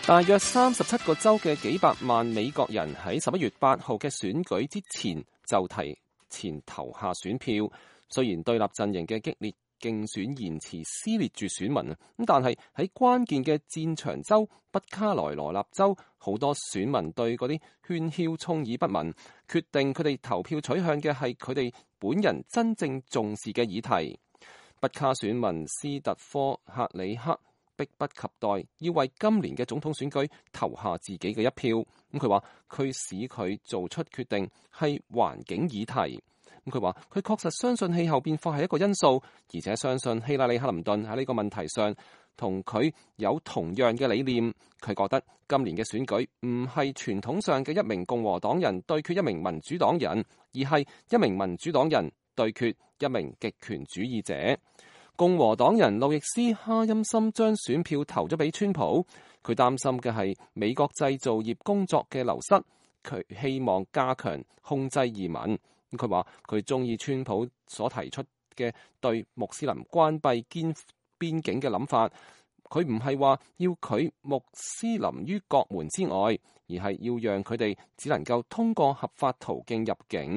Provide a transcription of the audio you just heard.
大約37個州嘅幾百萬美國人喺11月8號嘅選舉之前就提前投下選票。雖然對立陣營嘅激烈競選言辭撕裂住選民，但係喺關鍵嘅戰場州北卡羅來納州，好多選民對嗰啲喧囂充耳不聞，決定佢哋投票取向嘅係佢哋本人真正重視嘅議題。北卡選民斯特科克里克迫不及待要為今年嘅總統選舉投下自己嘅一票。佢話佢使佢做出決定係環境議題。佢話佢確實相信氣候變化係一個因素，而且相信希拉里克林頓喺呢個問題上同佢有同樣嘅理念。佢覺得今年嘅選舉唔係傳統上嘅一名共和黨人對決一名民主黨人，而係一名民主黨人對決一名極權主義者。共和黨人路易斯哈欽森將選票投咗俾川普，佢擔心嘅係美國製造業工作嘅流失，佢希望加強控制移民。佢話佢中意川普所提出嘅對穆斯林關閉邊境嘅諗法，佢唔係話要佢穆斯林於國門之外，而係要讓佢哋只能夠通過合法途徑入境。